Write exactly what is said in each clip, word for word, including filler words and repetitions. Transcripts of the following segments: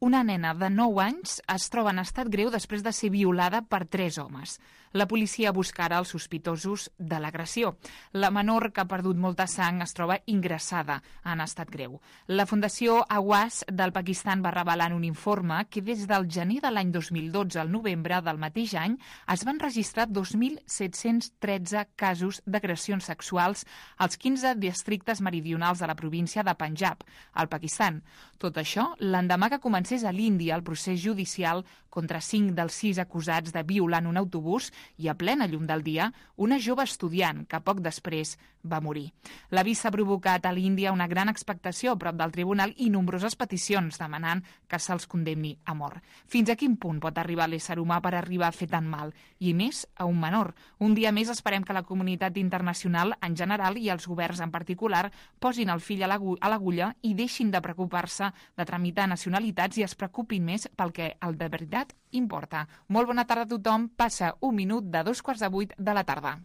Una nena de nou anys es troba en estat greu després de ser violada per tres homes. La policia busca ara els sospitosos de l'agressió. La menor, que ha perdut molta sang, es troba ingressada en estat greu. La Fundació Awas del Pakistan va revelar en un informe que des del gener de l'any dos mil dotze al novembre del mateix any es van registrar dos mil set-cents tretze casos d'agressions sexuals als quinze districtes meridionals de la província de Panjab, al Pakistan. Tot això l'endemà que comença a l'Índia el procés judicial contra cinc dels sis acusats de violar en un autobús i a plena llum del dia una jove estudiant que poc després va morir. L'avís s'ha provocat a l'Índia una gran expectació a prop del tribunal i nombroses peticions demanant que se'ls condemni a mort. Fins a quin punt pot arribar l'ésser humà per arribar a fer tant mal? I més a un menor. Un dia més esperem que la comunitat internacional en general i els governs en particular posin el fill a l'agulla i deixin de preocupar-se de tramitar nacionalitats i es preocupin més pel que el de veritat importa. Molt bona tarda a tothom. Passa un minut de dos quarts de vuit de la tarda.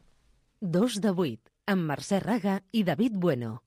Dos de vuit, amb Mercè Raga i David Bueno.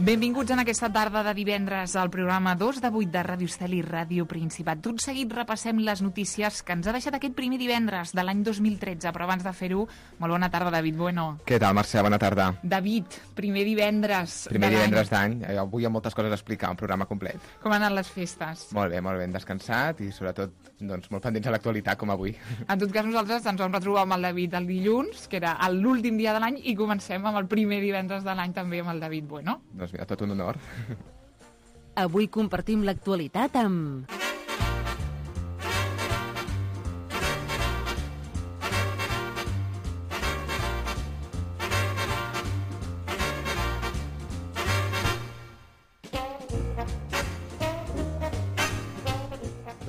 Benvinguts en aquesta tarda de divendres al programa dos de vuit de Ràdio Estel i Ràdio Principat. Tot seguit repassem les notícies que ens ha deixat aquest primer divendres de l'any dos mil tretze, però abans de fer-ho, molt bona tarda, David Bueno. Què tal, Mercè? Bona tarda. David, primer divendres Primer de divendres d'any. Avui hi ha moltes coses a explicar, un programa complet. Com han anat les festes? Molt bé, molt ben descansat i sobretot doncs, molt pendents a l'actualitat, com avui. En tot cas, nosaltres ens vam retrobar amb el David el dilluns, que era l'últim dia de l'any, i comencem amb el primer divendres de l'any també amb el David Bueno. Doncs mira, tot un honor. Avui compartim l'actualitat amb...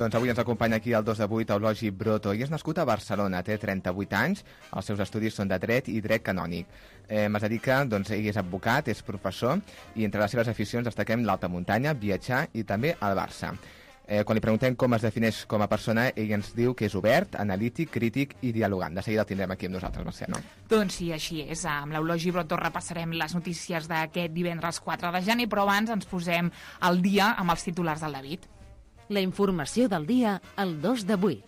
Doncs avui ens acompanya aquí el dos de vuit Eulogi Broto i és nascut a Barcelona, té trenta-vuit anys, els seus estudis són de dret i dret canònic. Eh, es dedica, doncs ell és advocat, és professor i entre les seves aficions destaquem l'alta muntanya, viatjar i també el Barça. Eh, quan li preguntem com es defineix com a persona, ell ens diu que és obert, analític, crític i dialogant. De seguida el tindrem aquí amb nosaltres, Mercè, no? Doncs sí, així és. Amb l'Eulogi Broto repassarem les notícies d'aquest divendres quatre de gener, però abans ens posem al dia amb els titulars del David. La informació del dia al dos de vuit.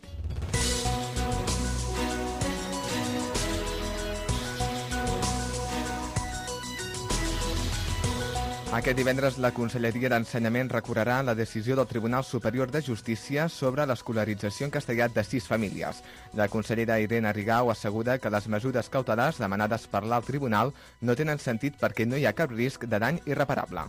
Aquest divendres la Conselleria d'Ensenyament recorrerà la decisió del Tribunal Superior de Justícia sobre l'escolarització en castellà de sis famílies. La consellera Irene Rigau assegura que les mesures cautelars demanades per l'alt tribunal no tenen sentit perquè no hi ha cap risc de dany irreparable.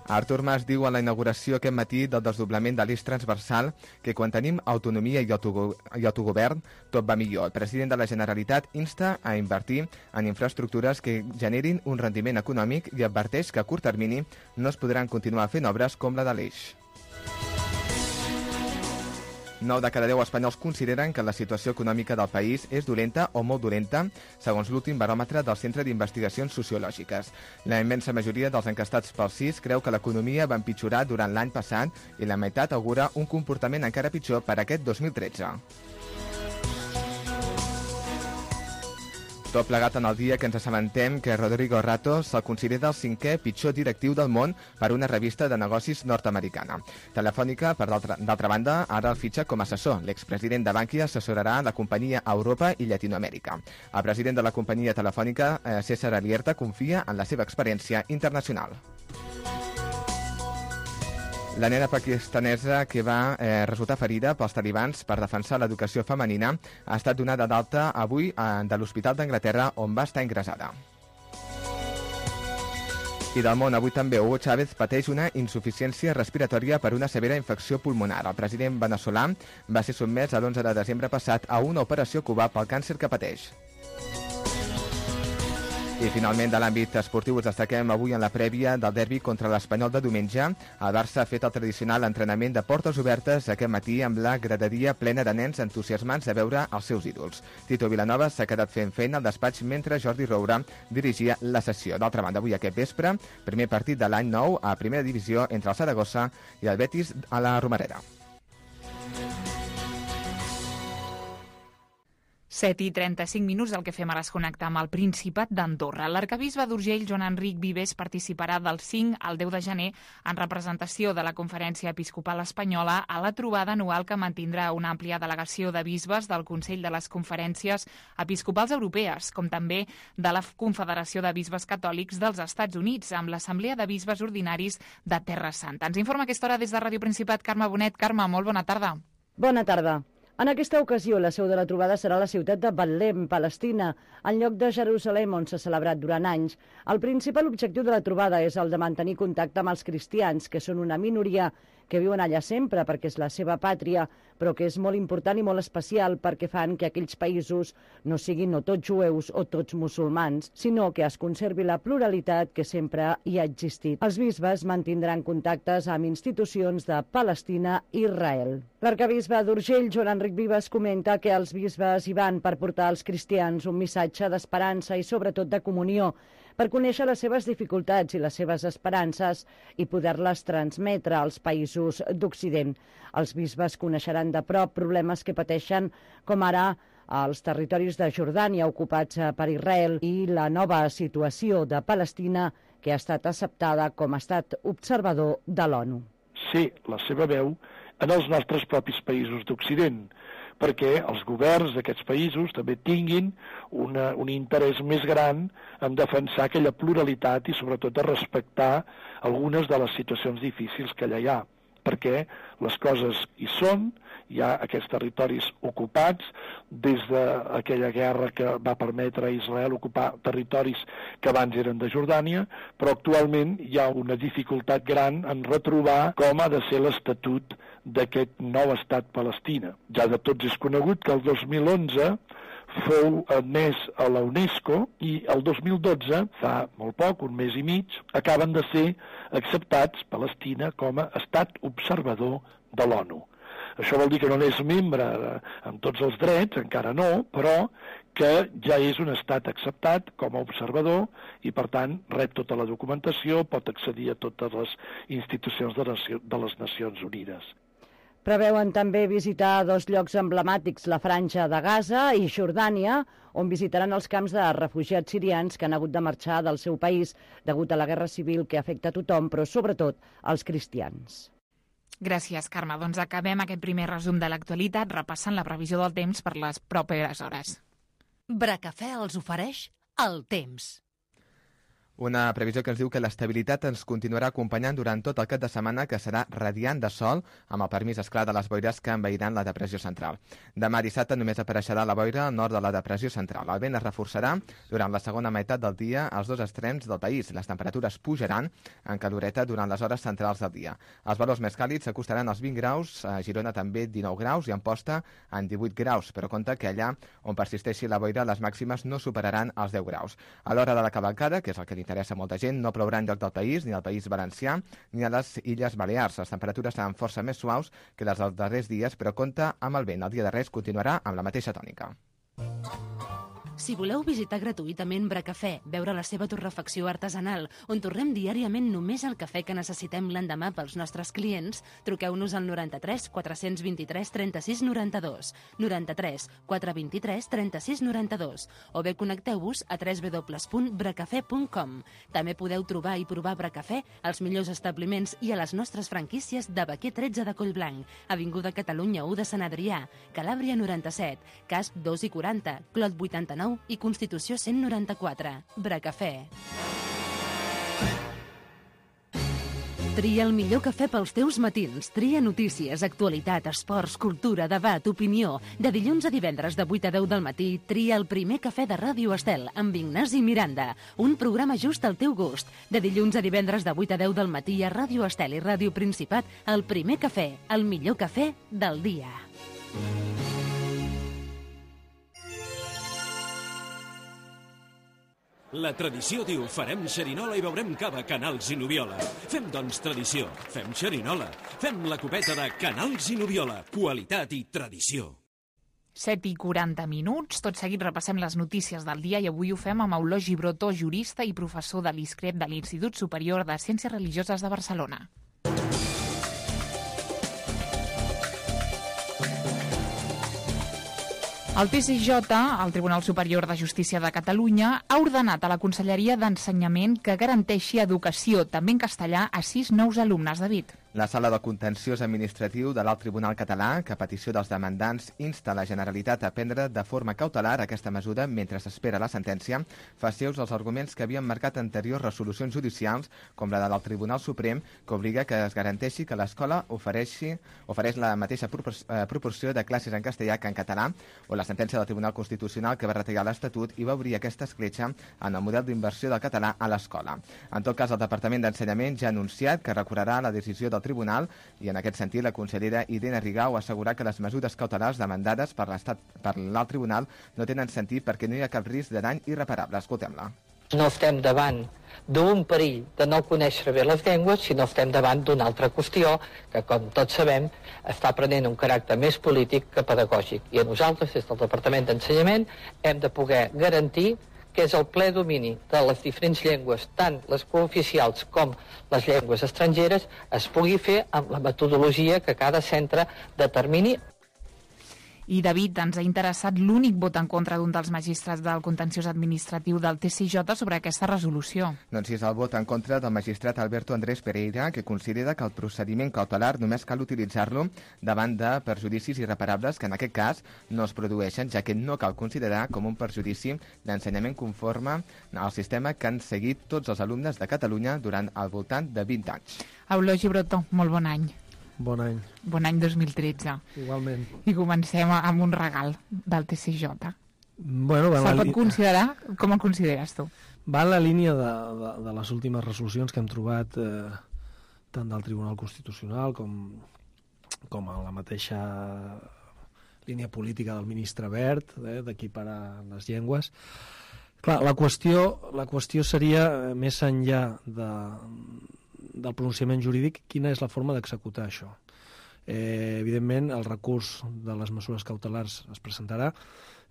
Artur Mas diu a la inauguració aquest matí del desdoblament de l'eix transversal que quan tenim autonomia i, autogo i autogovern tot va millor. El president de la Generalitat insta a invertir en infraestructures que generin un rendiment econòmic i adverteix que a curt termini no es podran continuar fent obres com la de l'eix. nou de cada deu espanyols consideren que la situació econòmica del país és dolenta o molt dolenta, segons l'últim baròmetre del Centre d'Investigacions Sociològiques. La immensa majoria dels encastats pel C I S creu que l'economia va empitjorar durant l'any passat i la meitat augura un comportament encara pitjor per aquest dos mil tretze. Tot plegat en el dia que ens assabentem que Rodrigo Rato se'l considera el cinquè pitjor directiu del món per una revista de negocis nord-americana. Telefònica, per d'altra banda, ara el fitxa com a assessor. L'expresident de Bankia assessorarà la companyia a Europa i Llatinoamèrica. El president de la companyia telefònica, eh, César Alierta, confia en la seva experiència internacional. La nena pakistanesa que va eh, resultar ferida pels talibans per defensar l'educació femenina ha estat donada d'alta avui eh, de l'Hospital d'Anglaterra on va estar ingressada. I del món, avui també Hugo Chávez pateix una insuficiència respiratòria per una severa infecció pulmonar. El president veneçolà va ser sotmès a l'onze de desembre passat a una operació a Cuba pel càncer que pateix. I finalment, de l'àmbit esportiu, us destaquem avui en la prèvia del derbi contra l'Espanyol de diumenge. El Barça ha fet el tradicional entrenament de portes obertes aquest matí amb la graderia plena de nens entusiasmats de veure els seus ídols. Tito Vilanova s'ha quedat fent feina al despatx mentre Jordi Roura dirigia la sessió. D'altra banda, avui aquest vespre, primer partit de l'any nou a primera divisió entre el Saragossa i el Betis a la Romareda. set i trenta-cinc minuts, el que fem ara és connectar amb el Principat d'Andorra. L'arquebisbe d'Urgell, Joan Enric Vives, participarà del cinc al deu de gener en representació de la Conferència Episcopal Espanyola a la trobada anual que mantindrà una àmplia delegació de bisbes del Consell de les Conferències Episcopals Europees, com també de la Confederació de Bisbes Catòlics dels Estats Units, amb l'Assemblea de Bisbes Ordinaris de Terra Santa. Ens informa aquesta hora des de Ràdio Principat Carme Bonet. Carme, molt bona tarda. Bona tarda. En aquesta ocasió, la seu de la trobada serà la ciutat de Betlem, Palestina, en lloc de Jerusalem, on s'ha celebrat durant anys. El principal objectiu de la trobada és el de mantenir contacte amb els cristians, que són una minoria que viuen allà sempre perquè és la seva pàtria, però que és molt important i molt especial perquè fan que aquells països no siguin no tots jueus o tots musulmans, sinó que es conservi la pluralitat que sempre hi ha existit. Els bisbes mantindran contactes amb institucions de Palestina i Israel. L'arquebisbe d'Urgell, Joan Enric Vives, comenta que els bisbes hi van per portar als cristians un missatge d'esperança i sobretot de comunió, per conèixer les seves dificultats i les seves esperances i poder-les transmetre als països d'Occident. Els bisbes coneixeran de prop problemes que pateixen, com ara els territoris de Jordània ocupats per Israel i la nova situació de Palestina, que ha estat acceptada com a estat observador de l'ONU. Sí, la seva veu en els nostres propis països d'Occident, perquè els governs d'aquests països també tinguin una, un interès més gran en defensar aquella pluralitat i sobretot de respectar algunes de les situacions difícils que allà hi ha, perquè les coses hi són, hi ha aquests territoris ocupats des d'aquella guerra que va permetre a Israel ocupar territoris que abans eren de Jordània, però actualment hi ha una dificultat gran en retrobar com ha de ser l'estatut d'aquest nou estat Palestina. Ja de tots és conegut que el dos mil onze fou admès a la UNESCO i el dos mil dotze, fa molt poc, un mes i mig, acaben de ser acceptats Palestina com a estat observador de l'ONU. Això vol dir que no és membre amb tots els drets, encara no, però que ja és un estat acceptat com a observador i, per tant, rep tota la documentació, pot accedir a totes les institucions de les Nacions Unides. Preveuen també visitar dos llocs emblemàtics, la Franja de Gaza i Jordània, on visitaran els camps de refugiats sirians que han hagut de marxar del seu país degut a la guerra civil que afecta a tothom, però sobretot als cristians. Gràcies, Carme. Doncs acabem aquest primer resum de l'actualitat repassant la previsió del temps per les properes hores. Bracafè els ofereix el temps. Una previsió que ens diu que l'estabilitat ens continuarà acompanyant durant tot el cap de setmana, que serà radiant de sol, amb el permís, esclar, de les boires que envairan la depressió central. Demà dissabte només apareixerà la boira al nord de la depressió central. El vent es reforçarà durant la segona meitat del dia als dos extrems del país. Les temperatures pujaran en caloreta durant les hores centrals del dia. Els valors més càlids s'acostaran als vint graus, a Girona també dinou graus i a Amposta en divuit graus, però compte que allà on persisteixi la boira les màximes no superaran els deu graus. A l'hora de la cavalcada, que és el que interessa a molta gent, no plourà enlloc del país, ni al País Valencià, ni a les Illes Balears. Les temperatures seran força més suaus que les dels darrers dies, però compta amb el vent. El dia de Reis continuarà amb la mateixa tònica. Si voleu visitar gratuïtament Bracafè, veure la seva torrefacció artesanal, on torrem diàriament només el cafè que necessitem l'endemà pels nostres clients, truqueu-nos al noranta-tres quatre-cents vint-i-tres trenta-sis noranta-dos, noranta-tres quatre vint-i-tres trenta-sis noranta-dos, o bé connecteu-vos a w w w punt bracafè punt com. També podeu trobar i provar Bracafè als millors establiments i a les nostres franquícies de Baquer tretze de Collblanc, Avinguda Catalunya u de Sant Adrià, Calàbria noranta-set, Casp dos i quaranta, Clot vuitanta-nou i Constitució cent noranta-quatre. Bracafè. Tria el millor cafè pels teus matins. Tria notícies, actualitat, esports, cultura, debat, opinió. De dilluns a divendres de vuit a deu del matí, tria el primer cafè de Ràdio Estel amb Ignasi Miranda. Un programa just al teu gust. De dilluns a divendres de vuit a deu del matí a Ràdio Estel i Ràdio Principat, el primer cafè, el millor cafè del dia. La tradició diu farem xerinola i beurem cava Canals i Nubiola. Fem, doncs, tradició. Fem xerinola. Fem la copeta de Canals i Nubiola. Qualitat i tradició. set i quaranta minuts. Tot seguit repassem les notícies del dia i avui ho fem amb Eulogi Brotó, jurista i professor de l'I S C R E P de l'Institut Superior de Ciències Religioses de Barcelona. El T C J, el Tribunal Superior de Justícia de Catalunya, ha ordenat a la Conselleria d'Ensenyament que garanteixi educació, també en castellà, a sis nous alumnes. David. La Sala de Contenciós Administratiu de l'Alt Tribunal Català, que a petició dels demandants insta la Generalitat a prendre de forma cautelar aquesta mesura mentre s'espera la sentència, fa seus els arguments que havien marcat anteriors resolucions judicials, com la del Tribunal Suprem, que obliga que es garanteixi que l'escola ofereixi, ofereix la mateixa proporció de classes en castellà que en català, o la sentència del Tribunal Constitucional que va retallar l'Estatut i va obrir aquesta escletxa en el model d'inversió del català a l'escola. En tot cas, el Departament d'Ensenyament ja ha anunciat que recorrerà la decisió del Tribunal i en aquest sentit la consellera Irene Rigau ha assegurat que les mesures cautelars demandades per l'Estat per l'Alt Tribunal no tenen sentit perquè no hi ha cap risc de dany irreparable. Escoltem-la. No estem davant d'un perill de no conèixer bé les llengües, sinó estem davant d'una altra qüestió que, com tots sabem, està prenent un caràcter més polític que pedagògic. I a nosaltres, des del Departament d'Ensenyament, hem de poder garantir que és el ple domini de les diferents llengües, tant les cooficials com les llengües estrangeres, es pugui fer amb la metodologia que cada centre determini. I, David, ens ha interessat l'únic vot en contra d'un dels magistrats del contenciós administratiu del T C J sobre aquesta resolució. Doncs sí, és el vot en contra del magistrat Alberto Andrés Pereira, que considera que el procediment cautelar només cal utilitzar-lo davant de perjudicis irreparables que en aquest cas no es produeixen, ja que no cal considerar com un perjudici d'ensenyament conforme al sistema que han seguit tots els alumnes de Catalunya durant al voltant de vint anys. Eulogi Brotó, molt bon any. Bon any. Bon any dos mil tretze. Igualment. I comencem amb un regal del T C J. Bueno, Se pot considerar? Com el consideres tu? Va en la línia de, de, de les últimes resolucions que hem trobat eh, tant del Tribunal Constitucional com, com a la mateixa línia política del ministre Wert, eh, d'equiparar les llengües. Clar, la qüestió, la qüestió seria, més enllà de... del pronunciament jurídic, quina és la forma d'executar això. Eh, evidentment, el recurs de les mesures cautelars es presentarà.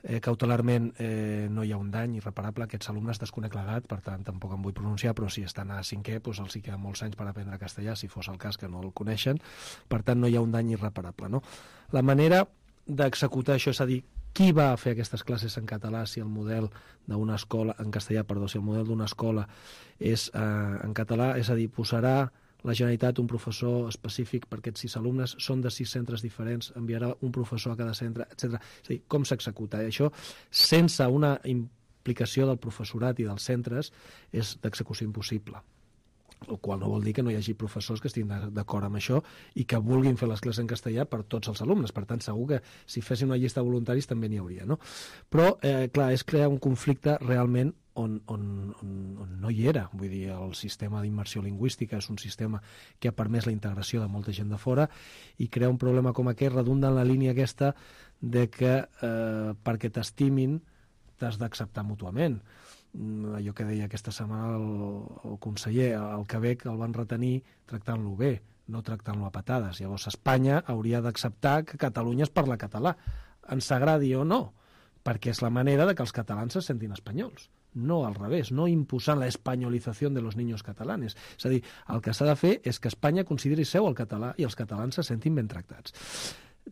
Eh, cautelarment eh, no hi ha un dany irreparable. Aquests alumnes desconec l'edat, per tant, tampoc em vull pronunciar, però si estan a cinquè, doncs els hi queden molts anys per aprendre castellà, si fos el cas que no el coneixen. Per tant, no hi ha un dany irreparable. No? La manera d'executar això, és a dir, qui va fer aquestes classes en català si el model d'una escola, en castellà, perdó, si el model d'una escola és eh, en català, és a dir, posarà la Generalitat un professor específic per aquests sis alumnes, són de sis centres diferents, enviarà un professor a cada centre, etcètera. És a dir, com s'executa? Això, sense una implicació del professorat i dels centres, és d'execució impossible. El qual no vol dir que no hi hagi professors que estiguin d'acord amb això i que vulguin fer les classes en castellà per tots els alumnes. Per tant, segur que si fessin una llista de voluntaris també n'hi hauria, no? Però, eh, clar, és crear un conflicte realment on, on, on, on no hi era. Vull dir, el sistema d'immersió lingüística és un sistema que ha permès la integració de molta gent de fora i crear un problema com aquest redunda en la línia aquesta de que eh, perquè t'estimin t'has d'acceptar mútuament. Allò que deia aquesta setmana el, el conseller, el Quebec el van retenir tractant-lo bé, no tractant-lo a patades. Llavors Espanya hauria d'acceptar que Catalunya es parla català, ens agradi o no, perquè és la manera de que els catalans se sentin espanyols, no al revés, no imposant la espanyolització de los niños catalanes. És a dir, el que s'ha de fer és que Espanya consideri seu el català i els catalans se sentin ben tractats.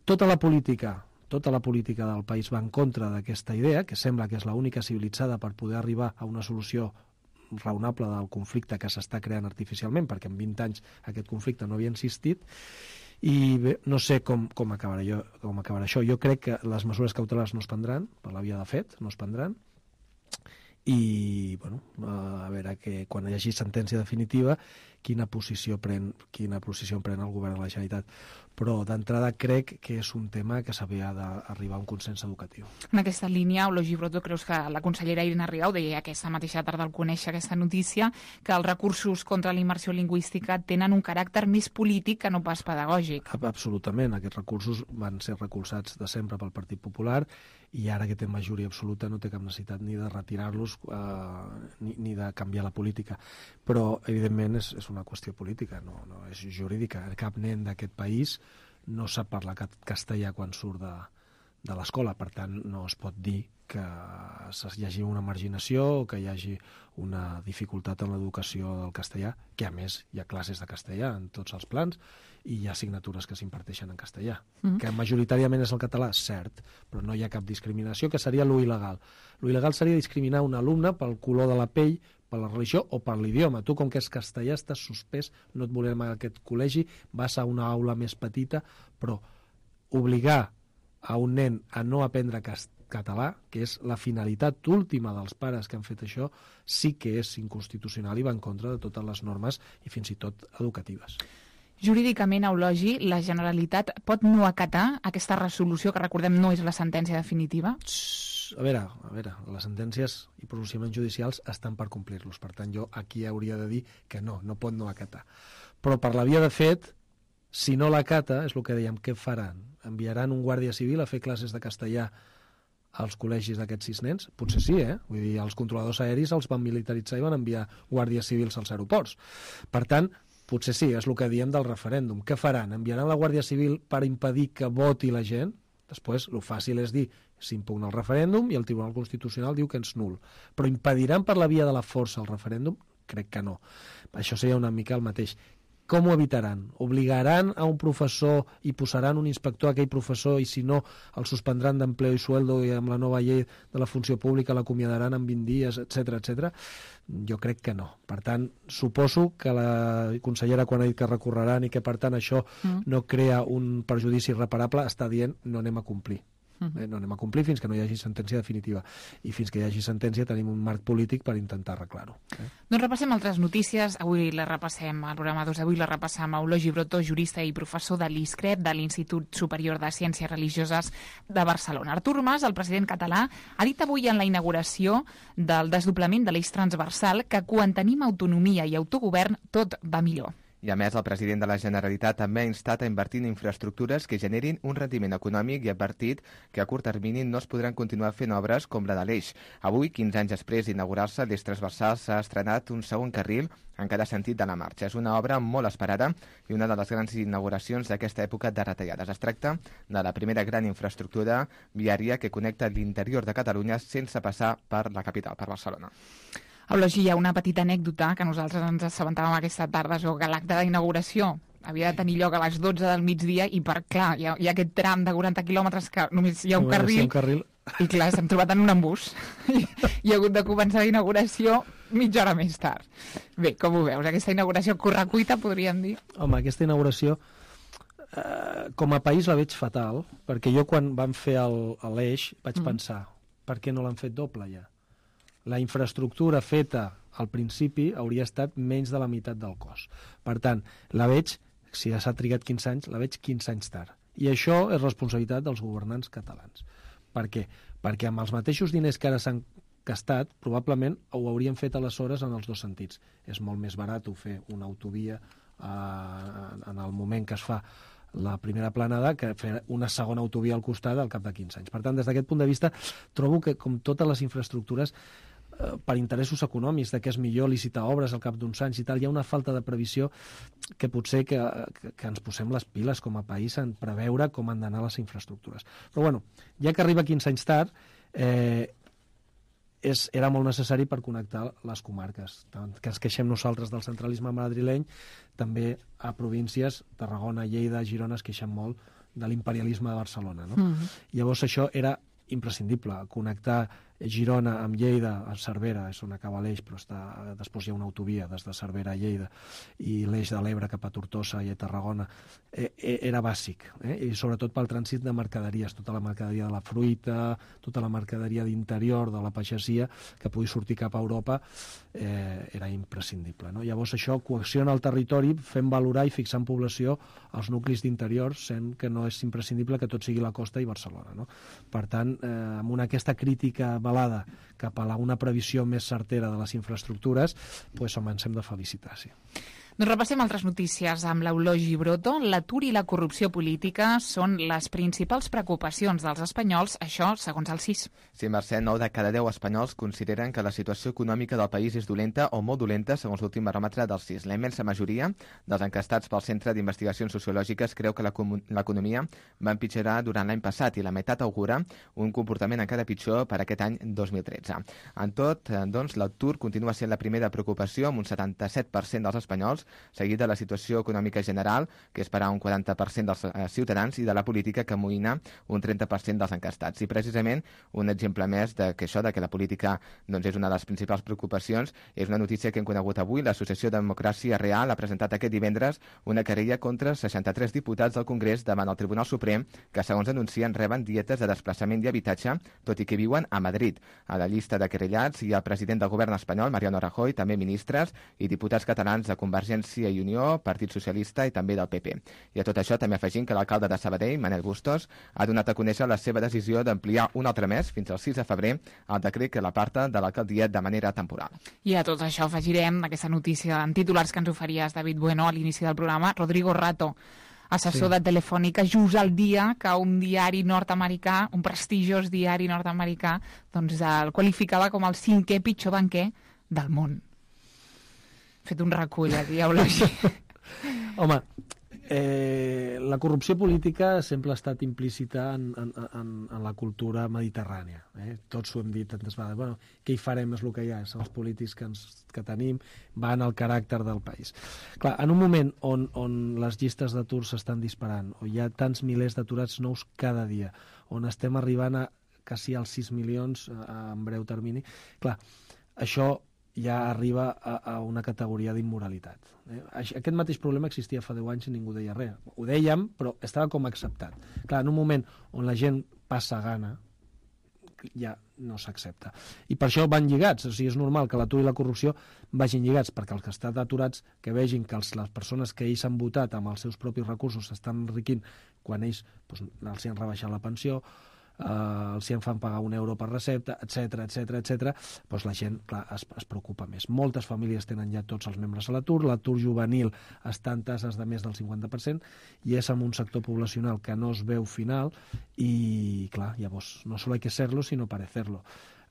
Tota la política Tota la política del país va en contra d'aquesta idea, que sembla que és l'única civilitzada per poder arribar a una solució raonable del conflicte que s'està creant artificialment, perquè en vint anys aquest conflicte no havia existit, i bé, no sé com, com, acabarà jo, com acabarà això. Jo crec que les mesures cautelars no es prendran, per la via de fet, no es prendran, i bueno, a veure que quan hi hagi sentència definitiva quina posició pren, quina posició pren el govern de la Generalitat. Però d'entrada crec que és un tema que s'havia d'arribar a un consens educatiu. En aquesta línia, Eulogi Brotó, creus que la consellera Irene Rigau deia aquesta mateixa tarda al conèixer aquesta notícia, que els recursos contra la immersió lingüística tenen un caràcter més polític que no pas pedagògic? Absolutament. Aquests recursos van ser recolzats de sempre pel Partit Popular i ara que té majoria absoluta no té cap necessitat ni de retirar-los discurs eh, ni, ni de canviar la política, però evidentment és, és una qüestió política, no, no és jurídica. Cap nen d'aquest país no sap parlar castellà quan surt de, de l'escola, per tant no es pot dir que hi hagi una marginació o que hi hagi una dificultat en l'educació del castellà, que a més hi ha classes de castellà en tots els plans i hi ha assignatures que s'imparteixen en castellà, mm. que majoritàriament és el català, cert, però no hi ha cap discriminació, que seria lo il·legal. Lo il·legal seria discriminar un alumne pel color de la pell, per la religió o per l'idioma. Tu, com que és castellà, estàs suspès, no et volem a aquest col·legi, vas a una aula més petita, però obligar a un nen a no aprendre català, que és la finalitat última dels pares que han fet això, sí que és inconstitucional i va en contra de totes les normes i fins i tot educatives. Jurídicament, Eulogi, la Generalitat pot no acatar aquesta resolució, que recordem no és la sentència definitiva? A veure, a veure, les sentències i pronunciaments judicials estan per complir-los. Per tant, jo aquí hauria de dir que no, no pot no acatar. Però per la via de fet, si no l'acata, és el que dèiem, què faran? Enviaran un guàrdia civil a fer classes de castellà als col·legis d'aquests sis nens? Potser sí, eh? Vull dir, els controladors aeris els van militaritzar i van enviar guàrdies civils als aeroports. Per tant, potser sí, és el que diem del referèndum. Què faran? Enviaran la Guàrdia Civil per impedir que voti la gent? Després, el fàcil és dir, s'impugna el referèndum i el Tribunal Constitucional diu que és nul. Però impediran per la via de la força el referèndum? Crec que no. Això seria una mica el mateix. Com ho evitaran? Obligaran a un professor i posaran un inspector a aquell professor i si no el suspendran d'empleo i sueldo i amb la nova llei de la funció pública l'acomiadaran en vint dies, etcètera, etcètera? Jo crec que no. Per tant, suposo que la consellera, quan ha dit que recorreran i que per tant això mm. no crea un perjudici irreparable, està dient no anem a complir. Eh, no anem a complir fins que no hi hagi sentència definitiva i fins que hi hagi sentència tenim un marc polític per intentar arreglar-ho. Eh? Doncs repassem altres notícies. Avui la repassem, al programa dos d'avui la repassem a Eulogi Broto, jurista i professor de l'I S C R E P, de l'Institut Superior de Ciències Religioses de Barcelona. Artur Mas, el president català, ha dit avui en la inauguració del desdoblament de l'eix transversal que quan tenim autonomia i autogovern tot va millor. I a més, el president de la Generalitat també ha instat a invertir en infraestructures que generin un rendiment econòmic i ha advertit que a curt termini no es podran continuar fent obres com la de l'eix. Avui, quinze anys després d'inaugurar-se, l'eix transversal s'ha estrenat un segon carril en cada sentit de la marxa. És una obra molt esperada i una de les grans inauguracions d'aquesta època de retallades. Es tracta de la primera gran infraestructura viària que connecta l'interior de Catalunya sense passar per la capital, per Barcelona. Eulogi, hi ha una petita anècdota que nosaltres ens assabentàvem aquesta tarda, o que l'acte d'inauguració havia de tenir lloc a les dotze del migdia i per, clar, hi ha, hi ha aquest tram de quaranta quilòmetres que només hi ha un carril, un carril. I clar, s'han trobat en un embús i hi ha hagut de començar la inauguració mitja hora més tard. Bé, com ho veus? Aquesta inauguració correcuita, podríem dir? Home, aquesta inauguració eh, com a país la veig fatal, perquè jo quan vam fer l'eix vaig mm. pensar, per què no l'han fet doble ja? La infraestructura feta al principi hauria estat menys de la meitat del cost. Per tant, la veig, si ja s'ha trigat quinze anys, la veig quinze anys tard. I això és responsabilitat dels governants catalans. Per què? Perquè amb els mateixos diners que ara s'han gastat, probablement ho haurien fet aleshores en els dos sentits. És molt més barat fer una autovia eh, en el moment que es fa la primera planada que fer una segona autovia al costat al cap de quinze anys. Per tant, des d'aquest punt de vista, trobo que, com totes les infraestructures, per interessos econòmics, de que és millor licitar obres al cap d'uns anys i tal, hi ha una falta de previsió que potser que, que, que ens posem les piles com a país en preveure com han d'anar les infraestructures. Però bueno, ja que arriba quinze anys tard, eh, és, era molt necessari per connectar les comarques. Tant que ens queixem nosaltres del centralisme madrileny, també a províncies, Tarragona, Lleida, Girona, es queixen molt de l'imperialisme de Barcelona. No? Mm-hmm. Llavors això era imprescindible, connectar Girona amb Lleida, a Cervera, és on acaba l'eix, però està, després hi ha una autovia des de Cervera a Lleida, i l'eix de l'Ebre cap a Tortosa i a Tarragona, eh, era bàsic, eh? I sobretot pel trànsit de mercaderies, tota la mercaderia de la fruita, tota la mercaderia d'interior, de la pagesia, que pugui sortir cap a Europa, eh, era imprescindible. No? Llavors això coacciona el territori fent valorar i fixar en població els nuclis d'interior, sent que no és imprescindible que tot sigui la costa i Barcelona. No? Per tant, eh, amb una, aquesta crítica balada cap a la, una previsió més certera de les infraestructures, pues, home, ens hem de felicitar, sí. Doncs repassem altres notícies amb l'Eulogi Broto. L'atur i la corrupció política són les principals preocupacions dels espanyols, això segons el C I S. Sí, Mercè, nou de cada deu espanyols consideren que la situació econòmica del país és dolenta o molt dolenta, segons l'últim baròmetre del C I S. La immensa majoria dels encastats pel Centre d'Investigacions Sociològiques creu que l'economia va empitjorar durant l'any passat i la meitat augura un comportament encara pitjor per aquest any dos mil tretze. En tot, doncs, l'atur continua sent la primera preocupació amb un setanta-set per cent dels espanyols, seguit de la situació econòmica general, que és per a un quaranta per cent dels eh, ciutadans, i de la política, que amoïna un trenta per cent dels encastats. I precisament un exemple més de que això, de que la política doncs, és una de les principals preocupacions, és una notícia que hem conegut avui. L'Associació Democràcia Real ha presentat aquest divendres una querella contra seixanta-tres diputats del Congrés davant el Tribunal Suprem, que segons denuncien reben dietes de desplaçament i habitatge, tot i que viuen a Madrid. A la llista de querellats hi ha el president del govern espanyol, Mariano Rajoy, també ministres i diputats catalans de Convergència i Unió, Partit Socialista i també del P P. I a tot això també afegim que l'alcalde de Sabadell, Manel Bustos, ha donat a conèixer la seva decisió d'ampliar un altre mes, fins al sis de febrer, el decret que l'aparta de l'alcaldia de manera temporal. I a tot això afegirem aquesta notícia en titulars que ens oferies, David Bueno, a l'inici del programa. Rodrigo Rato, assessor sí. de Telefònica, just el dia que un diari nord-americà, un prestigiós diari nord-americà, doncs el qualificava com el cinquè pitjor banquer del món. He fet un recull aquí, Eulogi. Home, eh, la corrupció política sempre ha estat implícita en, en, en, en la cultura mediterrània. Eh? Tots ho hem dit tantes vegades. Bueno, què hi farem és el que hi ha, són els polítics que, ens, que tenim, van al caràcter del país. Clar, en un moment on, on les llistes d'atur s'estan disparant, on hi ha tants milers d'aturats nous cada dia, on estem arribant a quasi als sis milions en breu termini, clar, això ja arriba a, a una categoria d'immoralitat. Eh? Aquest mateix problema existia fa deu anys i ningú deia res. Ho dèiem, però estava com acceptat. Clar, en un moment on la gent passa gana, ja no s'accepta. I per això van lligats. O sigui, és normal que l'atur i la corrupció vagin lligats, perquè els que estan aturats, que vegin que els, les persones que ells han votat amb els seus propis recursos s'estan enriquint quan ells doncs, els han rebaixat la pensió, Uh, els hi en fan pagar un euro per recepta, etc etc etc. Doncs la gent, clar, es, es preocupa més. Moltes famílies tenen ja tots els membres a l'atur, l'atur juvenil està en tasses de més del cinquanta per cent i és en un sector poblacional que no es veu final i, clar, llavors, no solo hay que serlo, sinó parecerlo.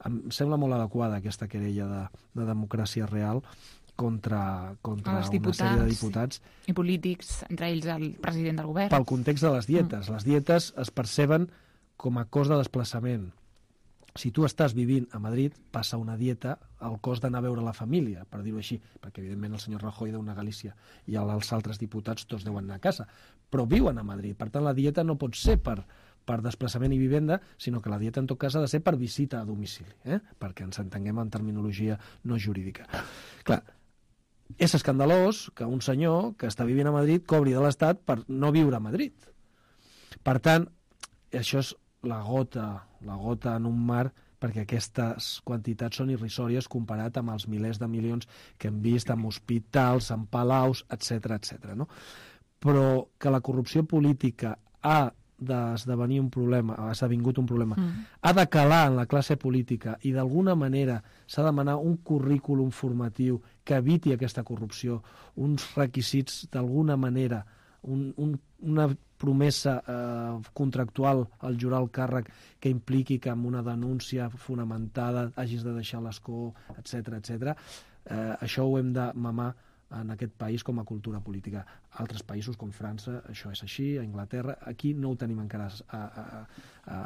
Em sembla molt adequada aquesta querella de, de democràcia real contra, contra una sèrie de diputats i polítics, entre ells el president del govern. Pel context de les dietes. Mm. Les dietes es perceben com a cost de desplaçament. Si tu estàs vivint a Madrid, passa una dieta al cost d'anar a veure la família, per dir-ho així, perquè evidentment el senyor Rajoy deu anar a Galícia i els altres diputats tots deuen anar a casa, però viuen a Madrid. Per tant, la dieta no pot ser per, per desplaçament i vivenda, sinó que la dieta en tot cas ha de ser per visita a domicili, eh? Perquè ens entenguem en terminologia no jurídica. Clar, és escandalós que un senyor que està vivint a Madrid cobri de l'Estat per no viure a Madrid. Per tant, això és la gota, la gota en un mar, perquè aquestes quantitats són irrisòries comparat amb els milers de milions que hem vist en hospitals, en palaus, etc etc. No? Però que la corrupció política ha d'esdevenir un problema, ha esdevingut un problema, mm. ha de calar en la classe política i d'alguna manera s'ha de demanar un currículum formatiu que eviti aquesta corrupció, uns requisits d'alguna manera, un, un, una promesa eh, contractual al jurar el càrrec que impliqui que amb una denúncia fonamentada hagis de deixar l'escó, etc etc. Eh, això ho hem de mamar en aquest país com a cultura política. Altres països com França, això és així, a Anglaterra, aquí no ho tenim encara, a, a, a,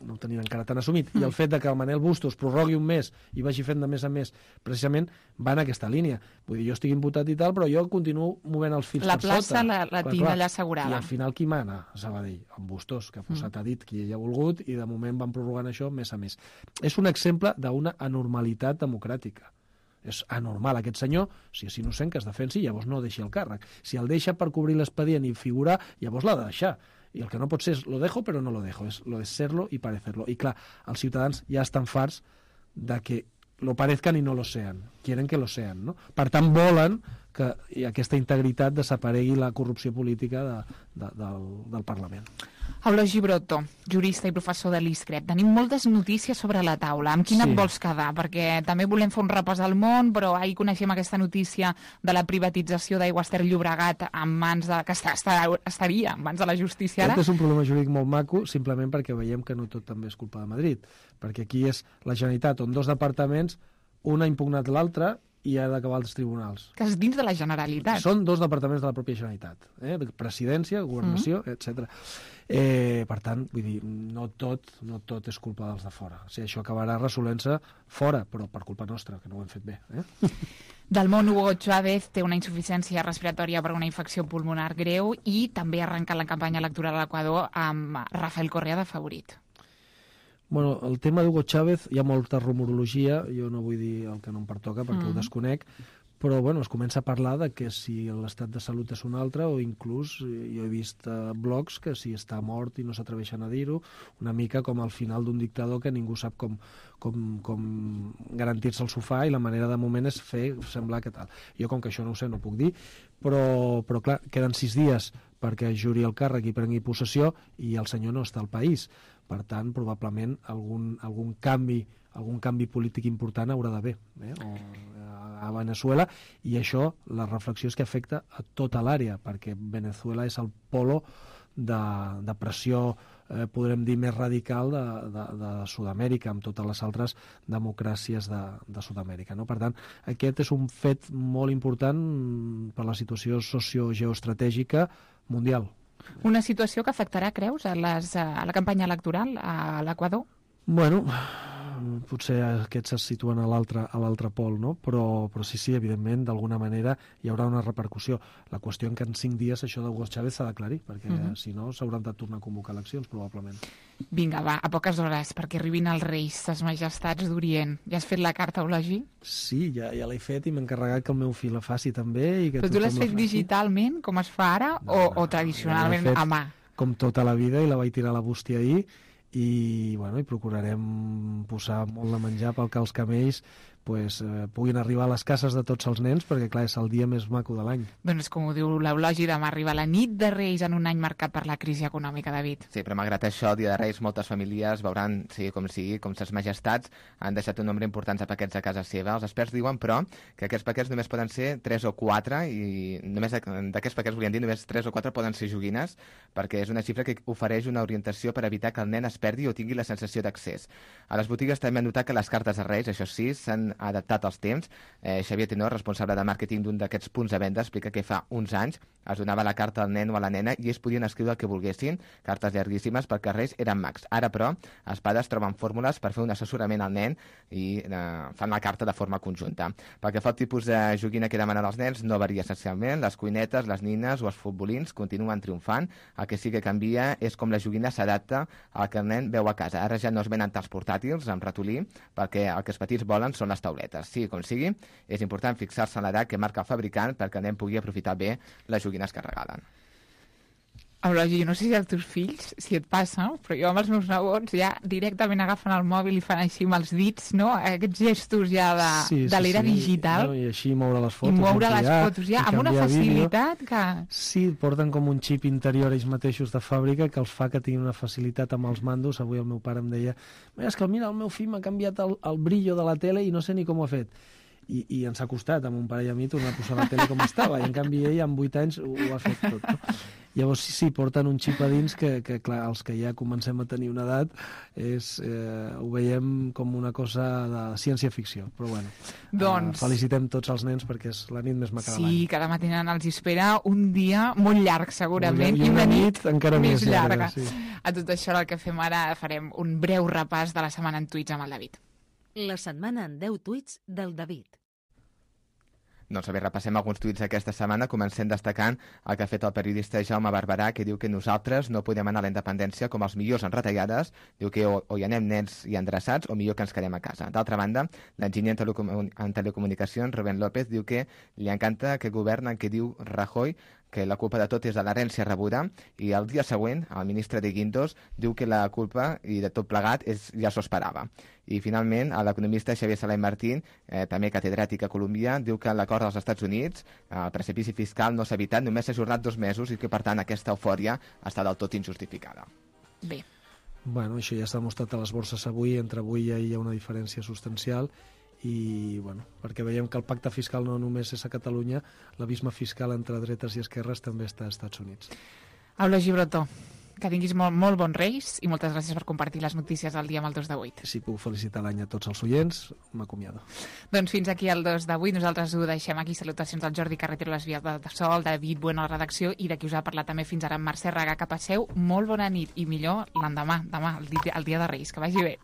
no ho tenim encara tan assumit. I el fet de que el Manel Bustos prorrogui un mes i vagi fent de més a més, precisament va en aquesta línia. Vull dir, jo estic imputat i tal, però jo continuo movent els fils la per sota. La plaça la, la tinc allà assegurada. I al final qui mana a Sabadell? En Bustos, que ha posat mm. a dit qui ell ha volgut i de moment van prorrogant això mes a mes. És un exemple d'una anormalitat democràtica. És anormal aquest senyor, si és innocent, que es defensi, llavors no deixi el càrrec. Si el deixa per cobrir l'expedient i figurar, llavors l'ha de deixar. I el que no pot ser és lo dejo però no lo dejo, és lo de serlo i parecerlo. I clar, els ciutadans ja estan farts de que lo parezcan i no lo sean. Quieren que lo sean, no? Per tant, volen que i aquesta integritat desaparegui la corrupció política de, de, del, del Parlament. Eulogi Broto, jurista i professor de l'ISCREP. Tenim moltes notícies sobre la taula. Amb quina Sí. et vols quedar? Perquè també volem fer un repàs al món, però ahir coneixem aquesta notícia de la privatització d'Aigües Ter Llobregat en mans de, que està, està, estaria en mans de la justícia ara. Aquest és un problema jurídic molt maco, simplement perquè veiem que no tot també és culpa de Madrid, perquè aquí és la Generalitat on dos departaments, un ha impugnat l'altre i ha d'acabar als tribunals. Que és dins de la Generalitat. Són dos departaments de la pròpia Generalitat, eh? Presidència, Governació, mm. etcètera. Eh, per tant, vull dir, no tot, no tot és culpa dels de fora. O sigui, això acabarà resolent-se fora, però per culpa nostra, que no ho hem fet bé. Eh? Del món, Hugo Chávez té una insuficiència respiratòria per una infecció pulmonar greu i també ha arrencat la campanya electoral a l'Equador amb Rafael Correa de favorit. Bueno, el tema d'Hugo Chávez, hi ha molta rumorologia, jo no vull dir el que no em pertoca perquè mm. ho desconec, però bueno, es comença a parlar de que si l'estat de salut és un altre, o inclús jo he vist uh, blogs que si està mort i no s'atreveixen a dir-ho, una mica com al final d'un dictador que ningú sap com, com, com garantir-se al sofà i la manera de moment és fer semblar que tal. Jo com que això no ho sé no puc dir, però, però clar, queden sis dies perquè juri el càrrec i prengui possessió i el senyor no està al país. Per tant, probablement algun, algun canvi algun canvi polític important haurà d'haver eh? o, a Venezuela, i això, la reflexió és que afecta a tota l'àrea, perquè Venezuela és el polo de, de pressió, eh, podrem dir, més radical de, de, de Sud-amèrica, amb totes les altres democràcies de, de Sud-amèrica. No? Per tant, aquest és un fet molt important per la situació sociogeoestratègica mundial. Una situació que afectarà, creus, a, les, a la campanya electoral a l'Equador? Bueno, potser aquests se situen a l'altre a l'altre pol, no? Però, però sí, sí, evidentment, d'alguna manera hi haurà una repercussió. La qüestió en que en cinc dies això d'Hugo Chávez s'ha d'aclarir, perquè uh -huh. si no s'hauran de tornar a convocar eleccions, probablement. Vinga, va, a poques hores, perquè arribin els reis, les majestats d'Orient. Ja has fet la carta, Eulogi? Sí, ja, ja l'he fet i m'he encarregat que el meu fill la faci també. I que Però tu l'has fet digitalment, com es fa ara, no, o, o tradicionalment a mà? Com tota la vida, i la vaig tirar a la bústia ahir, i, bueno, i procurarem posar molt de menjar pel que els camells pues, eh, puguin arribar a les cases de tots els nens, perquè clar, és el dia més maco de l'any. Doncs com ho diu l'Eulogi, demà arriba la nit de Reis en un any marcat per la crisi econòmica, David. Sí, però malgrat això, el dia de Reis, moltes famílies veuran, sigui com sigui, com ses majestats han deixat un nombre important de paquets a casa seva. Els experts diuen, però, que aquests paquets només poden ser tres o quatre, i només d'aquests paquets, volien dir, només tres o quatre poden ser joguines, perquè és una xifra que ofereix una orientació per evitar que el nen es perdi o tingui la sensació d'accés. A les botigues també han notat que les cartes de Reis, això sí, s'han adaptat als temps. Eh, Xavier Tenor, responsable de màrqueting d'un d'aquests punts de venda, explica que fa uns anys es donava la carta al nen o a la nena i ells podien escriure el que volguessin, cartes llarguíssimes perquè els Reis eren mags. Ara, però, els pares troben fórmules per fer un assessorament al nen i eh, fan la carta de forma conjunta. Pel que fa al tipus de joguina que demanen els nens, no varia essencialment. Les cuinetes, les nines o els futbolins continuen triomfant. El que sí que canvia és com la joguina s'adapta al que el nen veu a casa. Ara ja no es venen tals portàtils amb ratolí, perquè el que els petits volen són les tauletes. Sigui com sigui, és important fixar-se en l'edat que marca el fabricant perquè el nen pugui aprofitar bé les joguines que regalen. Eulogi, jo no sé si els teus fills, si et passa, però jo amb els meus nebots ja directament agafen el mòbil i fan així amb els dits, no? Aquests gestos ja de, sí, sí, de l'era sí. digital. No, I així moure les fotos. I moure les ampliar, fotos ja, amb una facilitat vídeo. que... Sí, porten com un xip interior ells mateixos de fàbrica que els fa que tinguin una facilitat amb els mandos. Avui el meu pare em deia, és que mira, el meu fill m'ha canviat el, el brillo de la tele i no sé ni com ho ha fet. I, i ens ha costat, amb un pare i a mi, tornar a posar la tele com estava, i en canvi ell amb vuit anys ho, ho ha fet tot. No? Llavors sí, sí, porten un xip a dins que, que clar, els que ja comencem a tenir una edat és, eh, ho veiem com una cosa de ciència-ficció, però bueno, doncs... eh, felicitem tots els nens perquè és la nit més maca de l'any. Sí, cada matina els espera un dia molt llarg segurament, i una nit encara més, més llarga. llarga sí. A tot això el que fem ara farem un breu repàs de la setmana en tuits amb el David. La setmana en deu tuits del David. Doncs bé, repassem alguns tuits aquesta setmana, comencem destacant el que ha fet el periodista Jaume Barberà, que diu que nosaltres no podem anar a la independència com els millors en retallades, diu que o, o hi anem nens i endreçats o millor que ens quedem a casa. D'altra banda, l'enginyer en, telecomun en telecomunicacions, Rubén López, diu que li encanta que governen, que diu Rajoy, que la culpa de tot és de l'herència rebuda, i el dia següent el ministre de Guindos diu que la culpa i de tot plegat és, ja s'ho esperava. I finalment l'economista Xavier Salai Martín, eh, també catedràtic a Colòmbia, diu que l'acord dels Estats Units, el precipici fiscal no s'ha evitat, només s'ha ajornat dos mesos i que per tant aquesta eufòria està del tot injustificada. Bé. Bueno, això ja s'ha demostrat a les borses avui, entre avui i ahir hi ha una diferència substancial i, bueno, perquè veiem que el pacte fiscal no només és a Catalunya, l'abisme fiscal entre dretes i esquerres també està als Estats Units. Eulogi Brotó, que tinguis molt, molt bons Reis i moltes gràcies per compartir les notícies del dia amb el dos de vuit. Si puc felicitar l'any a tots els oients, m'acomiado. Doncs fins aquí el dos de vuit. Nosaltres ho deixem aquí. Salutacions del Jordi Carretero, les vies de Sol, David Bueno a la redacció i de qui us ha parlat també fins ara en Mercè Raga. Que passeu molt bona nit i millor l'endemà, demà, el dia, el dia de Reis. Que vagi bé.